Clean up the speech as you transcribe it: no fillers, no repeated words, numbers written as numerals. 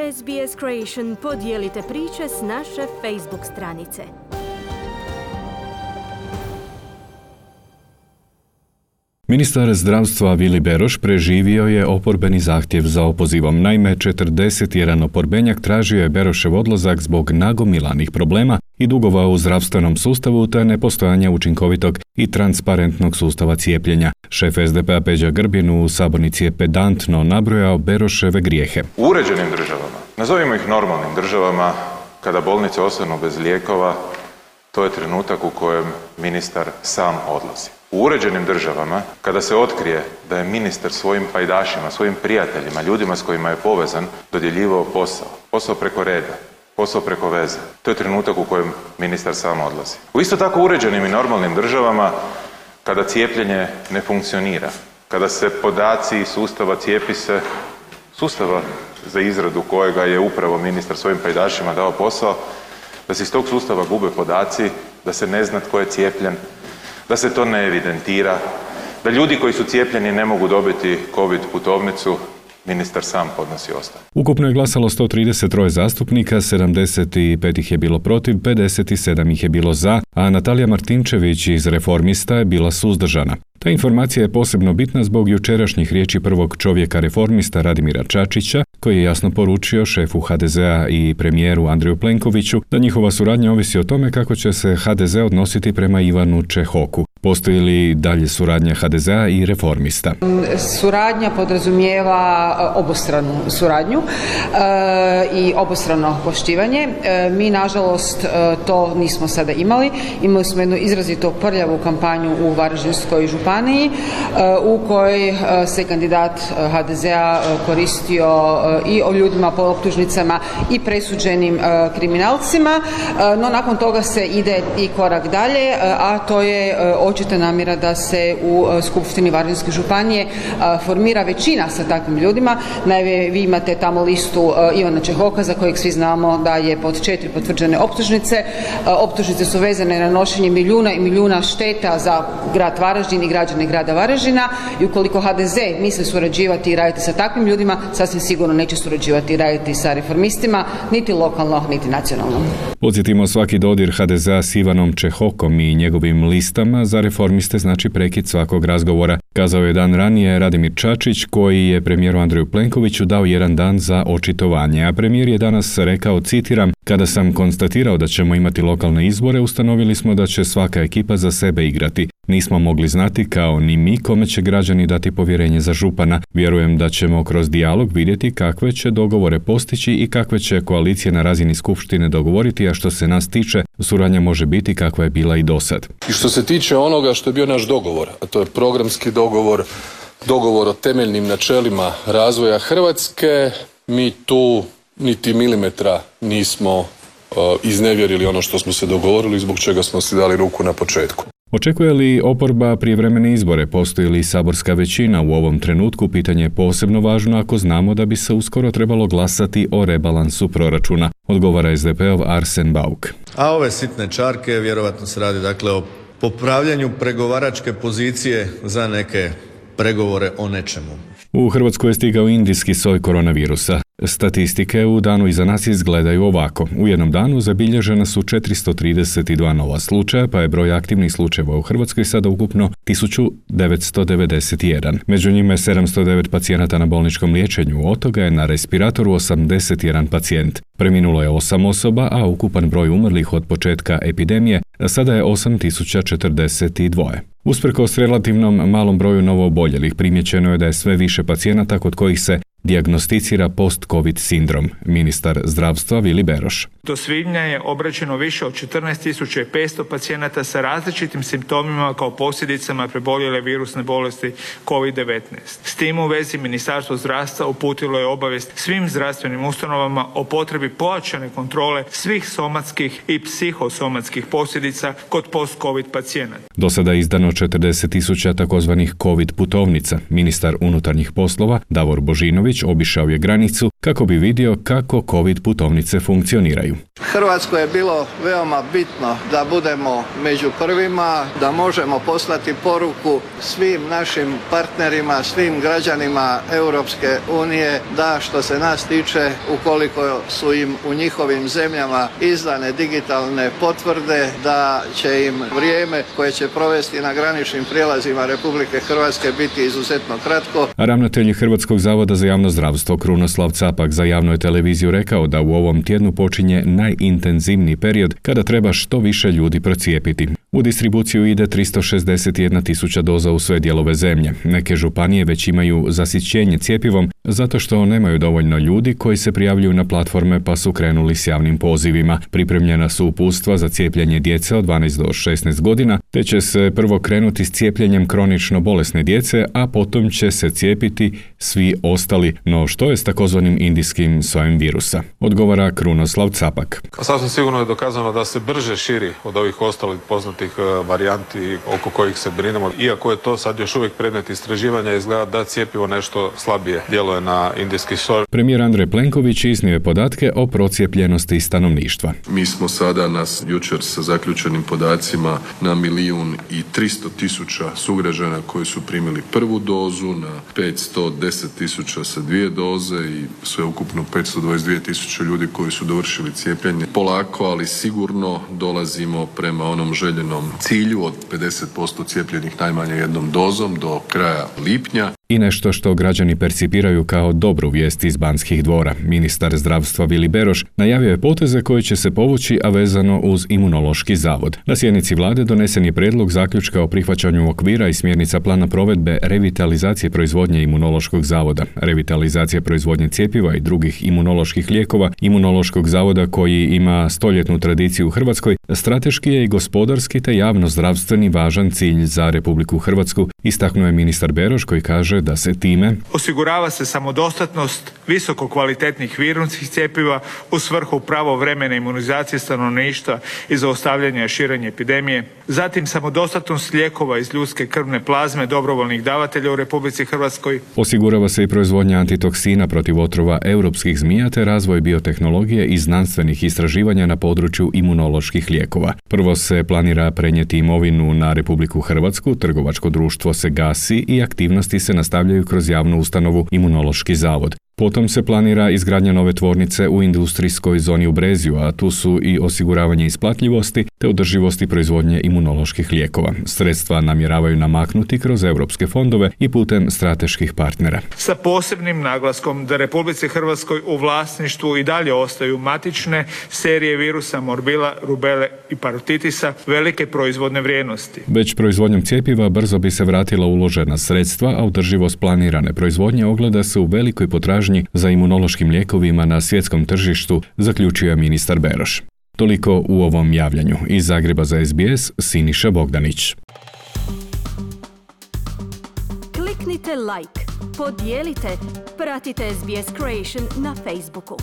SBS Creation podijelite priče s naše Facebook stranice. Ministar zdravstva Vili Beroš preživio je oporbeni zahtjev za opozivom. Naime, 41 oporbenjak tražio je Berošev odlazak zbog nagomilanih problema i dugova u zdravstvenom sustavu te nepostojanja učinkovitog i transparentnog sustava cijepljenja. Šef SDP-a Peđa Grbin u sabornici je pedantno nabrojao Beroševe grijehe. U uređenim državama, nazovimo ih normalnim državama, kada bolnice ostanu bez lijekova, to je trenutak u kojem ministar sam odlazi. U uređenim državama, kada se otkrije da je ministar svojim pajdašima, svojim prijateljima, ljudima s kojima je povezan, dodjeljivao posao preko reda, posao preko veze, to je trenutak u kojem ministar sam odlazi. U isto tako uređenim i normalnim državama, kada cijepljenje ne funkcionira, kada se podaci sustava Cijepise, sustava za izradu kojega je upravo ministar svojim pajdašima dao posao, da se iz tog sustava gube podaci, da se ne zna tko je cijepljen, da se to ne evidentira, da ljudi koji su cijepljeni ne mogu dobiti COVID putovnicu, ministar sam podnosi ostavku. Ukupno je glasalo 133 zastupnika, 75 ih je bilo protiv, 57 ih je bilo za, a Natalija Martinčević iz Reformista je bila suzdržana. Ta informacija je posebno bitna zbog jučerašnjih riječi prvog čovjeka Reformista Radimira Čačića, koji je jasno poručio šefu HDZ-a i premijeru Andreju Plenkoviću da njihova suradnja ovisi o tome kako će se HDZ odnositi prema Ivanu Čehoku. Postoji li dalje suradnja HDZ-a i Reformista? Suradnja podrazumijeva obostranu suradnju i obostrano poštivanje. Mi, nažalost, to nismo sada imali. Imali smo jednu izrazito prljavu kampanju u Varaždinskoj županiji u kojoj se kandidat HDZ-a koristio i o ljudima po optužnicama i presuđenim kriminalcima, no nakon toga se ide i korak dalje, a to je očita namjera da se u Skupštini Varaždinske županije formira većina sa takvim ljudima. Naime, vi imate tamo listu Ivana Čehoka za kojeg svi znamo da je pod 4 potvrđene optužnice. Optužnice su vezane na nanošenje milijuna i milijuna šteta za grad Varaždin i građane grada Varaždina i ukoliko HDZ misli surađivati i raditi sa takvim ljudima, sasvim sigurno neće surađivati i raditi sa Reformistima, niti lokalno, niti nacionalno. Podsjetimo, svaki dodir HDZ-a s Ivanom Čehokom i njegovim listama za Reformiste znači prekid svakog razgovora, kazao je dan ranije Radimir Čačić, koji je premijeru Andreju Plenkoviću dao jedan dan za očitovanje, a premijer je danas rekao, citiram: "Kada sam konstatirao da ćemo imati lokalne izbore, ustanovili smo da će svaka ekipa za sebe igrati. Nismo mogli znati, kao ni mi, kome će građani dati povjerenje za župana. Vjerujem da ćemo kroz dijalog vidjeti kakve će dogovore postići i kakve će koalicije na razini skupštine dogovoriti, a što se nas tiče, suradnja može biti kakva je bila i dosad." I što se tiče onoga što je bio naš dogovor, a to je programski dogovor, dogovor o temeljnim načelima razvoja Hrvatske, mi tu niti milimetra nismo iznevjerili ono što smo se dogovorili, zbog čega smo si dali ruku na početku. Očekuje li oporba prijevremene izbore? Postoji li saborska većina u ovom trenutku? Pitanje je posebno važno ako znamo da bi se uskoro trebalo glasati o rebalansu proračuna, odgovara SDP-ov Arsen Bauk. A ove sitne čarke, vjerovatno se radi dakle o popravljanju pregovaračke pozicije za neke pregovore o nečemu. U Hrvatskoj je stigao indijski soj koronavirusa. Statistike u danu iza nas izgledaju ovako. U jednom danu zabilježena su 432 nova slučaja, pa je broj aktivnih slučajeva u Hrvatskoj sada ukupno 1991. Među njima je 709 pacijenata na bolničkom liječenju, od toga je na respiratoru 81 pacijent. Preminulo je 8 osoba, a ukupan broj umrlih od početka epidemije sada je 8042. Usprkos relativnom malom broju novooboljelih, primjećeno je da je sve više pacijenata kod kojih se dijagnosticira post-covid sindrom. Ministar zdravstva Vili Beroš. Do svibnja je obrađeno više od 14.500 pacijenata sa različitim simptomima kao posljedicama preboljele virusne bolesti COVID-19. S tim u vezi Ministarstvo zdravstva uputilo je obavijest svim zdravstvenim ustanovama o potrebi pojačane kontrole svih somatskih i psihosomatskih posljedica kod post-covid pacijenata. Do sada je izdano 40.000 takozvanih covid putovnica. Ministar unutarnjih poslova Davor Božinović obišao je granicu kako bi vidio kako COVID putovnice funkcioniraju. Hrvatskoj je bilo veoma bitno da budemo među prvima, da možemo poslati poruku svim našim partnerima, svim građanima Europske unije da što se nas tiče, ukoliko su im u njihovim zemljama izdane digitalne potvrde, da će im vrijeme koje će provesti na graničnim prijelazima Republike Hrvatske biti izuzetno kratko. A ravnatelj Hrvatskog zavoda za javno zdravstvo Krunoslav Capak za javnu je televiziju rekao da u ovom tjednu počinje najintenzivniji period kada treba što više ljudi procijepiti. U distribuciju ide 361.000 doza u sve dijelove zemlje. Neke županije već imaju zasićenje cjepivom zato što nemaju dovoljno ljudi koji se prijavljuju na platforme pa su krenuli s javnim pozivima. Pripremljena su uputstva za cijepljenje djece od 12 do 16 godina, te će se prvo krenuti s cijepljenjem kronično bolesne djece, a potom će se cijepiti svi ostali. No što je s takozvanim indijskim sojem virusa? Odgovara Krunoslav Capak. Sasvim sigurno je dokazano da se brže širi od ovih ostalih poznatih varijanti oko kojih se brinemo. Iako je to sad još uvijek predmet istraživanja, izgleda da cjepivo nešto slabije djeluje na indijski soj. Premijer Andrej Plenković iznio je podatke o procijepljenosti stanovništva. Mi smo sada jučer sa zaključenim podacima na 1.300.000 sugrađana koji su primili prvu dozu, na 510.000 sa 2 doze i sveukupno 522.000 ljudi koji su dovršili cijepljenje. Polako, ali sigurno dolazimo prema onom željenom cilju od 50% cijepljenih najmanje jednom dozom do kraja lipnja. I nešto što građani percipiraju kao dobru vijest iz Banskih dvora. Ministar zdravstva Vili Beroš najavio je poteze koje će se povući, a vezano uz Imunološki zavod. Na sjednici vlade donesen je prijedlog zaključka o prihvaćanju okvira i smjernica plana provedbe revitalizacije proizvodnje Imunološkog zavoda, revitalizacije proizvodnje cjepiva i drugih imunoloških lijekova Imunološkog zavoda koji ima stoljetnu tradiciju u Hrvatskoj, strateški je i gospodarski te javno-zdravstveni važan cilj za Republiku Hrvatsku, istaknuo je ministar Beroš koji kaže da se time osigurava se samodostatnost visoko kvalitetnih virusnih cjepiva u svrhu pravovremene imunizacije stanovništva i zaustavljanja širenja epidemije, zatim samodostatnost lijekova iz ljudske krvne plazme dobrovoljnih davatelja u Republici Hrvatskoj. Osigurava se i proizvodnja antitoksina protiv otrova europskih zmija te razvoj biotehnologije i znanstvenih istraživanja na području imunoloških lijekova. Prvo se planira prenijeti imovinu na Republiku Hrvatsku, trgovačko društvo se gasi i aktivnosti se nastavljaju kroz javnu ustanovu Imunološki zavod. Potom se planira izgradnja nove tvornice u industrijskoj zoni u Brezju, a tu su i osiguravanje isplatljivosti te održivosti proizvodnje imunoloških lijekova. Sredstva namjeravaju namaknuti kroz europske fondove i putem strateških partnera. Sa posebnim naglaskom da Republici Hrvatskoj u vlasništvu i dalje ostaju matične serije virusa morbila, rubele i parotitisa velike proizvodne vrijednosti. Već proizvodnjom cjepiva brzo bi se vratila uložena sredstva, a održivost planirane proizvodnje ogleda se u velikoj potražnji za imunološkim lijekovima na svjetskom tržištu, zaključio je ministar Beroš. Toliko u ovom javljanju. Iz Zagreba za SBS, Siniša Bogdanić. Kliknite like, podijelite, pratite SBS Creation na Facebooku.